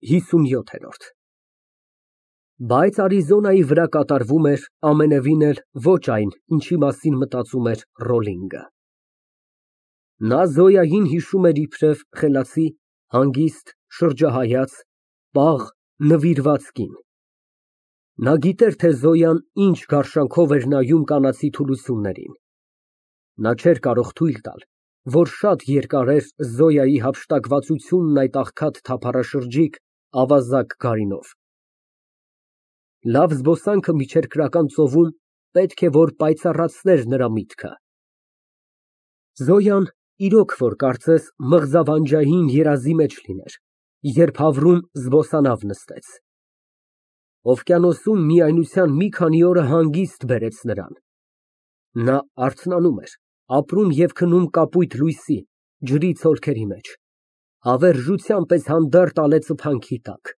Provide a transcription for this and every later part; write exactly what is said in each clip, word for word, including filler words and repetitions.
ՀԻսունյոթ Բայց Արիզոնայի վրա կատարվում էր ամենևին էլ ոչ այն, ինչի մասին մտածում էր Ռոլլինգը։ Նա Զոյային հիշում էր իբրև խելացի, հանգիստ, շրջահայաց, պաղ, նվիրված կին։ Նա գիտեր, թե Զոյան ինչ գարշանքով էր նայում կանացի թուլություններին։ Նա չէր կարող թույլ տալ, որ շատ երկար էր Զոյայի հափշտակվածությունն այդ աղքատ թափառաշրջիկ, ավազակ գարինով։ Լավ զբոսանքը միջերկրական ծովում պետք է որ պայծառացներ նրա միտքը։ Զոյան իրոք որ կարծես մղձավանջային երազի մեջ լիներ, երբ հավռում զբոսանավ նստեց։ Օվկիանոսում միայնության մի քանի օրը հանգիստ բերեց նրան։ Նա արթնանում էր, ապրում և քնում կապույտ լույսի, ջրի ցոլքերի մեջ, հավերժության պես հանդարտ ալեծıփանքի տակ։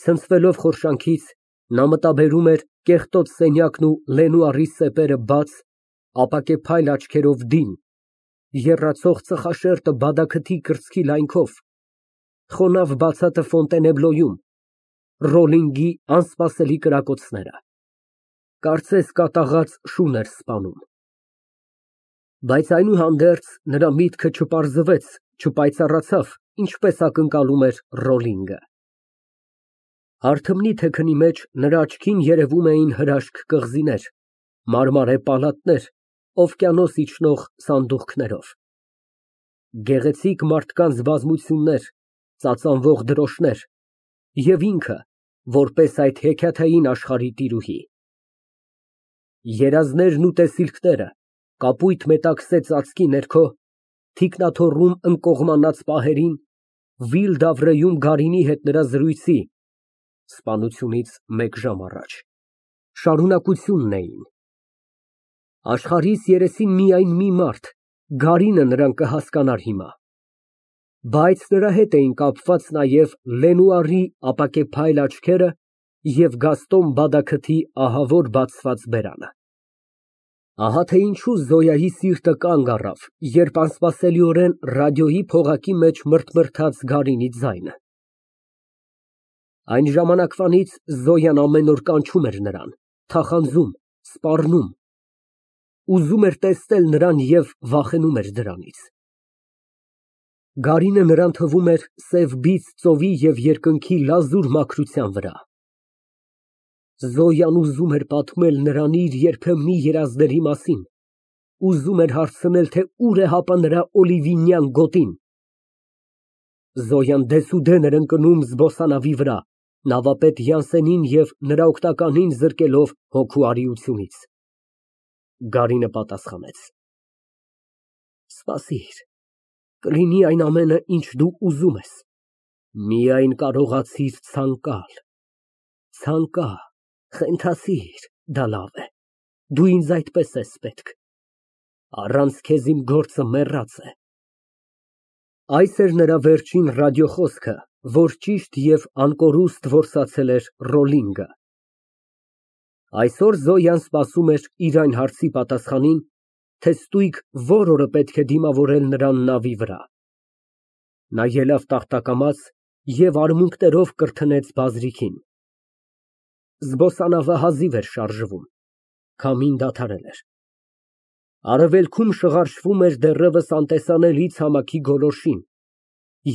Ցնցվելով խորշանքից, նա մտաբերում էր կեղտոտ սենյակն ու Լենուարի սեպերը բաց, ապակեպայլ աչքերով դին, եռացող ծխաշերտը բադաքթի կրծքի լայնքով, խոնավ բացատը Ֆոնտենեբլոյում, Ռոլլինգի անսպասելի կրակոցները, կարծես կատաղած շուն էր սպանում։ Բայց այնուհանդերձ նրա միտքը չպարզվեց, չպայծառացավ, ինչպես ակնկալում էր Ռոլլինգը։ Հարթմնի թեքնի մեջ նրա աչքին երևում էին հրաշք կղզիներ, մարմարե պալատներ, օվկիանոս իջնող սանդուղքներով։ Գեղեցիկ մարդկանց բազմություններ, ծածանվող դրոշներ և ինքը, որպես այդ հեքիաթային աշխարհի տիրուհի։ Երազներն ու տեսիլքները կապույտ մետաքսե ծածկի ներքո, թիկնաթոռում ընկողմանած պահերին, Վիլ֊դավրեում գարինի հետ նրա զրույցի (սպանությունից մեկ ժամ առաջ) շարունակությունն էին։ Աշխարհիս երեսին միայն մի մարդ, գարինը նրան կհասկանար հիմա։ Բայց նրա հետ էին կապված նաև Լենուարի ապակեպայլ աչքերը և Գաստոն բադաքթի ահավոր բացված բերանը։ Ահա թե ինչու Զոյայի սիրտը կանգ առավ, երբ անսպասելիորեն ռադիոյի փողակի մեջ մրթմրթաց գարինի ձայնը։ Այն ժամանակվանից Զոյան ամեն օր կանչում էր նրան, թախանձում, սպառնում, ուզում էր տեսնել նրան և վախենում էր դրանից։ Գարինը նրան թվում էր սև բիծ ծովի և երկնքի լազուր մաքրության վրա։ Զոյան ուզում էր պատմել նրան իր երբեմնի երազների մասին, ուզում էր հարցնել, թե ուր է հապա նրա օլիվինյան գոտին։ Զոյան դեսուդեն էր ընկնում զբոսանավի վրա, նավապետ Յանսենին և նրա օգնականին զրկելով հոգու արիությունից։ Գարինը պատասխանեց. Սպասիր, կլինի այն ամենը, ինչ դու ուզում ես, միայն կարողացիր ցանկալ, ցանկա, խենթասիր, դա լավ է, դու ինձ այդպես ես պետք, առանց քեզ իմ գործը մեռած է։ Այս էր նրա վերջին ռադիոխոսքը, որ ճիշտ և անկորուստ որսացել էր Ռոլլինգը։ Այսօր Զոյան սպասում էր իր այն հարցի պատասխանին, թե ստույգ որ օրը պետք է դիմավորել նրան նավի վրա։ Նա ելավ տախտակամաց և արմունկներով կրթնեց բազրիքին։ Զբոսանավը հազիվ էր շարժվում, քամին դադարել էր։ Արևելքում շղարշվում էր դեռևս անտեսանելի ցամաքի գոլորշին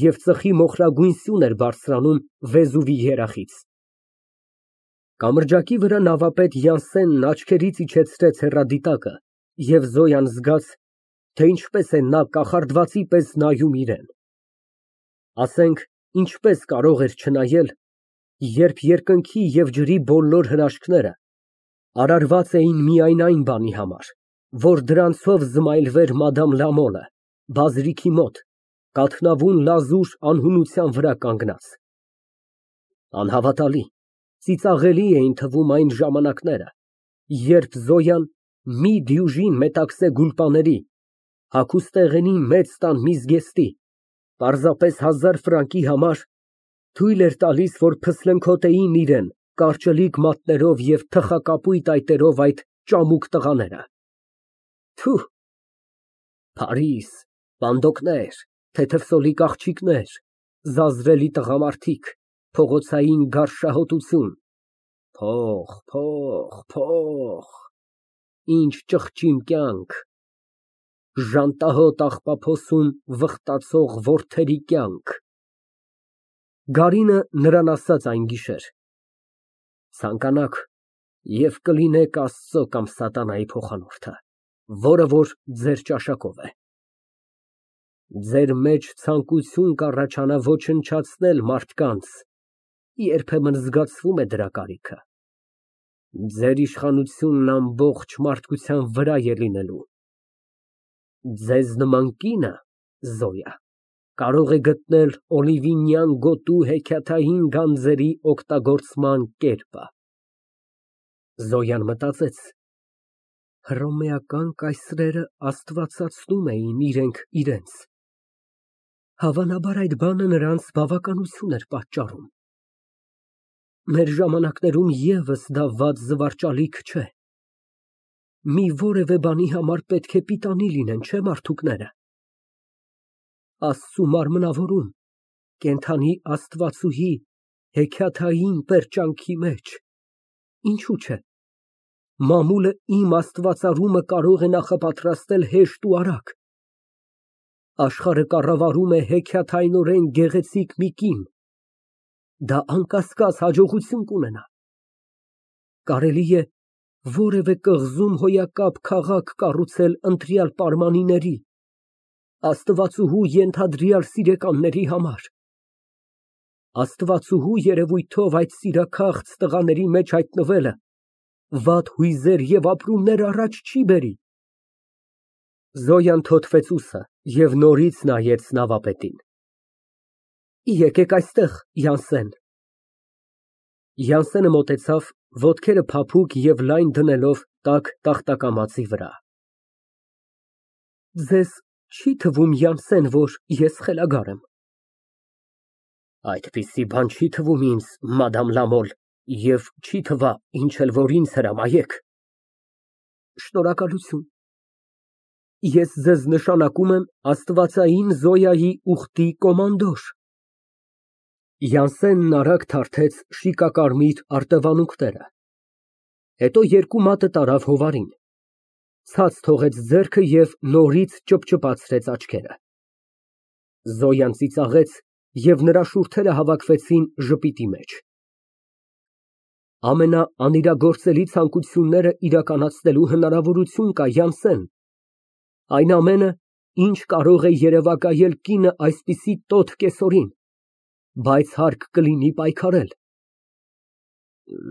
և ծխի մոխրագույն սյուն էր բարձրանում Վեզուվի երախից։ Կամրջակի վրա նավապետ Յանսենն աչքերից իջեցրեց հեռադիտակը, և Զոյան զգաց, թե ինչպես է նա կախարդվածի պես նայում իրան։ Ասենք, ինչպես կարող էր չնայել, երբ երկնքի և ջրի բոլոր հրաշքները արարված էին միայն այն բանի համար, որ դրանցով զմայլվեր Մադամ Լամոլը, բազրիքի մոտ, կաթնավուն լազուր անհունության վրա կանգնած։ Անհավատալի, ծիծաղելի էին թվում այն ժամանակները, երբ Զոյան մի դյուժին մետաքսե գուլպաների, հագուստեղենի մեծ տան մի զգեստի, պարզապես հազար ֆրանկի համար թույլ էր տալիս, որ փսլնքոտեին իրան կարճլիկ մատներով և թխակապույտ այտերով այդ ճամուկ տղաները։ Թուհ, Փարիզ, պանդոկներ, թեթև սոլիկ աղջիկներ, զազրելի տղամարդիկ, փողոցային գարշահոտություն, փող, փող, փող, ինչ ճղճիմ կյանք, ժանտահոտ աղբափոսում վխտացող որդերի կյանք։ Գարինը նրան ասաց այն գիշեր. «Ցանկանաք և կլինեք Աստծո կամ սատանայի փոխանորդը, որը որ ձեր ճաշակով է։ Ձեր մեջ ցանկություն կառաջանա ոչնչացնել մարդկանց, երբեմն զգացվում է դրա կարիքը։ Ձեր իշխանությունն ամբողջ մարդկության վրա է լինելու։ Ձեզ նման կինը, Զոյա, կարող է գտնել օլիվինյան գոտու հեքիաթային գանձերի օգտագործման կերպը»։ Զոյան մտածեց. հռոմեական կայսրերը աստվածացնում էին իրենք իրենց։ Հավանաբար այդ բանը նրանց բավականություն էր պատճառում։ Մեր ժամանակներում ևս դա վատ զվարճալիք չէ։ Մի որևէ բանի համար պետք է պիտանի լինեն, չէ՞ մարդուկները։ Աստծու մարմնավորում, կենդանի աստվածուհի հեքիաթային պերճանքի մեջ, ինչու՞ չէ, մամուլը իմ աստվածարումը կարող է նախապատրաստել հեշտ ու արագ։ Աշխարհը կառավարում է հեքիաթայնորեն գեղեցիկ մի կին, դա անկասկած հաջողություն կունենա։ Կարելի է որևէ կղզում հոյակապ քաղաք կառուցել ընտրյալ պայմանների, աստվածուհու ենթադրյալ սիրեկանների համար։ Աստվածուհու երևույթով այդ սիրաքաղց տղաների մեջ հայտնվելը վատ հույզեր և ապրումներ առաջ չի բերի։ Զոյան թոթվեց ուսը և նորից նայեց նավապետին։ Եկեք այստեղ, Յանսեն։ Յանսենը մոտեցավ, ոտքերը փափուկ և լայն դնելով տաք տախտակամածի վրա։ Ձեզ չի թվում, Յանսեն, որ ես խելագար եմ։ Այդպիսի բան չի թվում ինձ, մադամ Լամոլ, և չի թվա, ինչ էլ որ ինձ հրամայեք։ Շնորհակալություն։ Ես ձեզ նշանակում եմ աստվածային Զոյայի ուխտի կոմանդոր։ Յանսենն արագ թարթեց շիկակարմիր արտևանունքները, հետո երկու մատը տարավ հովարին, ցած թողեց ձեռքը և նորից ճպճպացրեց աչքերը։ Զոյան ծիծաղեց և նրա շուրթերը հավաքվեցին ժպիտի մեջ։ Ամենաանիրագործելի ցանկությունները իրականացնելու հնարավորություն կա, Յանսեն, այն ամենը, ինչ կարող է երևակայել կինը այսպիսի տոտ կեսօրին, բայց հարկ կլինի պայքարել։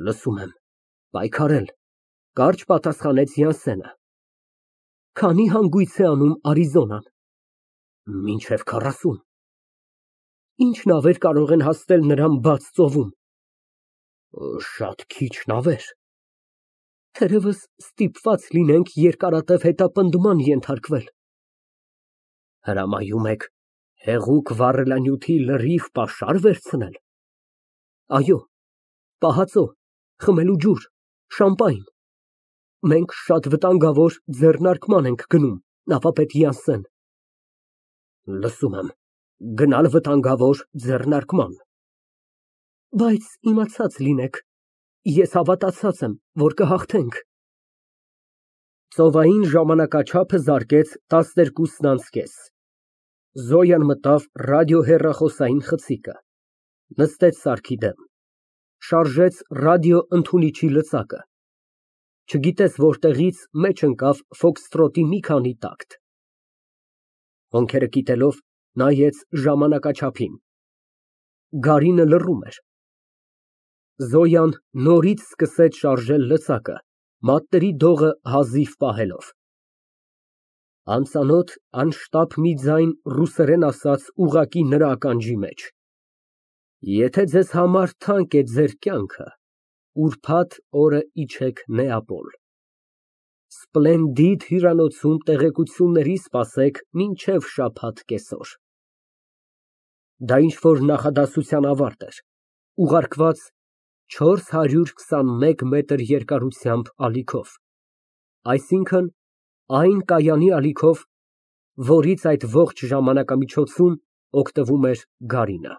Լսում եմ, պայքարել, կարճ պատասխանեց Յանսենը։ Քանի հանգույց է անում Արիզոնան։ Մինչև քառասուն։ Ինչ նավեր կարող են հասնել նրան բաց ծովում։ Շատ քիչ նավեր։ Թերևս ստիպված լինենք երկարատև հետապնդման ենթարկվել։ Հրամայում եք հեղուկ վառելանյութի լրիվ պաշար վերցնել։ Այո, պահածո, խմելու ջուր, շամպայն։ Մենք շատ վտանգավոր ձեռնարկման ենք գնում, նավապետ Յանսեն։ Լսում եմ, գնալ վտանգավոր ձեռնարկման։ Բայց իմացած լինեք, ես հավատացած եմ, որ կհաղթենք։ Ծովային ժամանակաչափը զարկեց տասներկուսն անց կես։ Զոյան մտավ ռադիոհեռախոսային խցիկը, նստեց սարքի դեմ, շարժեց ռադիոընդունիչի լծակը, չգիտես որտեղից մեջ ընկավ ֆոքսթրոտի մի քանի տակտ։ Հոնքերը կիտելով նայեց ժամանակաչափին։ Գարինը լռում էր։ Զոյան նորից սկսեց շարժել լծակը, մատների դողը հազիվ պահելով։ Անծանոթ, անշտապ մի ձայն ռուսերեն ասաց ուղղակի նրա ականջի մեջ. Եթե ձեզ համար թանկ է ձեր կյանքը, ուրբաթ օրը իջեք Նեապոլ։ Սպլենդիդ հյուրանոցում տեղեկությունների սպասեք մինչև շաբաթ կեսօր։ Դա ինչ֊որ նախադասության ավարտ էր, ուղարկված չորս հարյուր քսանմեկ մետր երկարությամբ ալիքով, այսինքն՝ այն կայանի ալիքով, որից այդ ողջ ժամանակամիջոցում Օգտվում էր Գարինը։